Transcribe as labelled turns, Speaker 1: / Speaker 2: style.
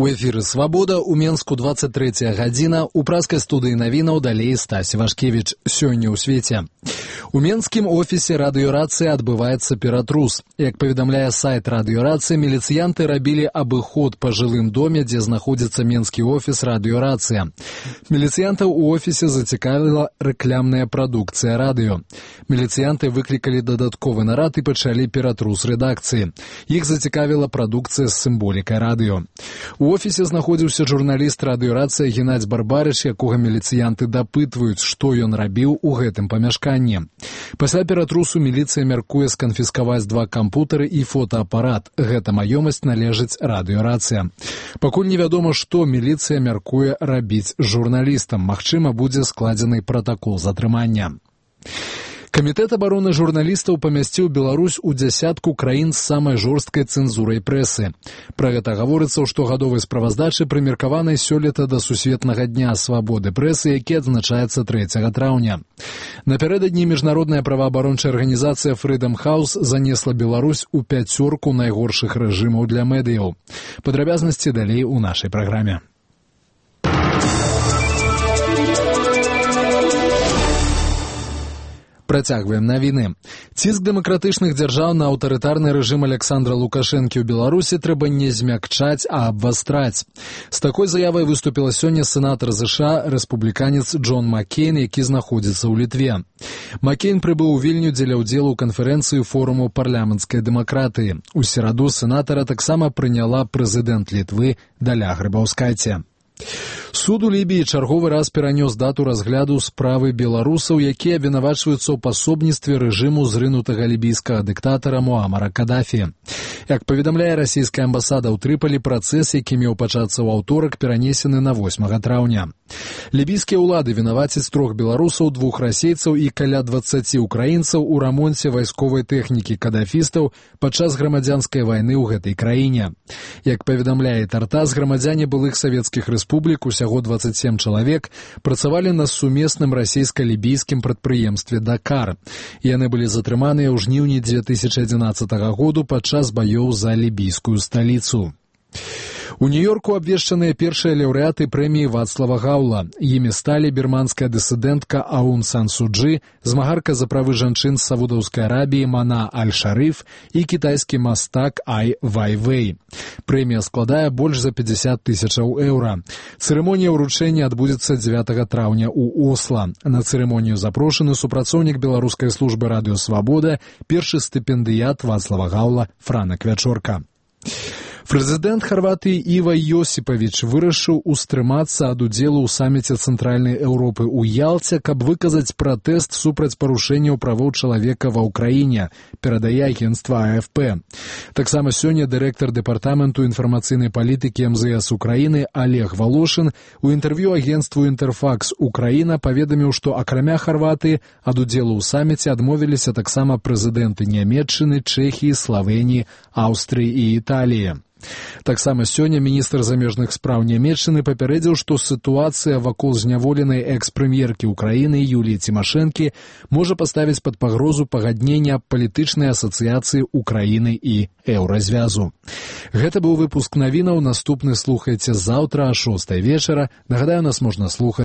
Speaker 1: У эфіры «Свабода», у Менску 23 гадзіна, у праскай студыі навінаў далей Стась Вашкевіч. Сёння ў свеце. У менскім офісе радыёрацыі адбываецца ператрус. Як паведамляе сайт радыёрацыі, міліцыянты рабілі абыход па жылым доме, дзе знаходзіцца менскі офіс радыёрацыя. Міліцыянтаў у офісе зацікавіла рэкламная прадукцыя радыё. Міліцыянты выклікалі дадатковы нарад і пачалі ператрус рэдакцыі. Іх зацікавіла прадукцыя з сімволікай радыё. У офісе знаходзіўся журналіст радыёрацыі Геннадзь Барбарыч, якога міліцыянты дапытваюць, што ён рабіў у гэтым памяшканні. Пасля ператрусу міліцыя мяркуе сканфіскаваць 2 кампутары і фотоапарат. Гэта маёмасць належыць радыёрацыя. Пакуль невядома, што міліцыя мяркуе рабіць з журналістам. Магчыма, будзе складзены пратакол затрымання. Камітэт абароны журналістаў памясціў Беларусь у дзясятку краін з самай жорсткай цэнзурай прэсы. Пра гэта гаворыцца ў штогадовай справаздачы, прымеркаванай сёлета да Сусветнага дня свабоды прэсы, які адзначаецца 3 траўня. Напярэдадні міжнародная праваабарончая арганізацыя Freedom House занесла Беларусь у 5 найгоршых рэжымаў для медыяў. Падрабязнасці далей у нашай праграме. Працягваем навіны. Ціск дэмакратычных дзяржаў на аўтарытарны рэжым Александра Лукашэнкі ў Беларусі трэба не змякчаць, а абвастраць. З такой заявай выступіла сёння сенатар США, рэспубліканец Джон Маккейн, які знаходзіцца ў Літве. Маккейн прыбыў у Вільню дзеля ўдзелу ў канферэнцыі форуму парламенцкай дэмакратыі. У сераду сенатара таксама прыняла прэзідэнт Літвы Даля Грыбаўскайце. Суд у Лібіі чарговы раз перанёс дату разгляду справы беларусаў, якія абвінавачваюцца ў пасобніцтве рэжыму зрынутага лібійскага дыктатара Муамара Кадафі. Як паведамляе расійская амбасада ў Трыполі, працэс, які меў пачацца ў аўторак, перанесены на 8 траўня. Лібійскія ўлады вінавацяць 3 беларусаў, 2 расейцаў і каля 20 украінцаў у рамонце вайсковай тэхнікі кадафістаў падчас грамадзянскай вайны ў гэтай краіне. Як паведамляе Тартас, грамадзяне былых савецкіх рэспублік, усяго 27 чалавек, працавалі на сумесным расійска-лібійскім прадпрыемстве «Дакар». Яны былі затрыманыя ў жніўні 2011 году падчас баёў за лібійскую сталіцу. У Нью-Йорку абвешчаныя першыя лаўрэаты прэміі Вацлава Гаўла. Імі сталі бірманская дысідэнтка Аун Сан Су Чжы, змагарка за правы жанчын з Саудаўскай Арабіі Мана Аль-Шарыф і кітайскі мастак Ай Вайвэй. Прэмія складае больш за 50 000 еўра. Цырымонія ўручэння адбудзецца 9 траўня ў Осла. На цырымонію запрошаны супрацоўнік беларускай службы радыё «Свабода», першы стыпендыят Вацлава Гаўла Франак Вячорка. Прэзідэнт Харватыі Іва Йосіпавіч вырашыў устрымацца ад удзелу ў саміце Цэнтральнай Еўропы ў Ялце, каб выказаць пратэст супраць парушэнняў правоў чалавека ва ўкраіне, перадае агенцтва АФП. Таксама сёння дырэктар дэпартаменту інфармацыйнай палітыкі МЗС Украіны Олег Волошин у інтэрв'ю агенцтву «Інтэрфакс Украіна» паведаміў, што акрамя Харватыі ад удзелу ў саміце адмовіліся таксама прэзідэнты Нямецчыны, Чэхіі, Славеніі, Аўстрыі і Італіі. Таксама сёння міністр замежных спраў Нямецчыны папярэдзіў, што сітуацыя вакол зняволенай экс-прэм'еркі Украіны Юліі Цімашэнкі можа паставіць пад пагрозу пагаднення палітычнай асацыяцыі Украіны і Еўразвязу. Гэта быў выпуск навінаў. Наступны слухайце заўтра о 6 вечара. Нагадаю, нас можна слухаць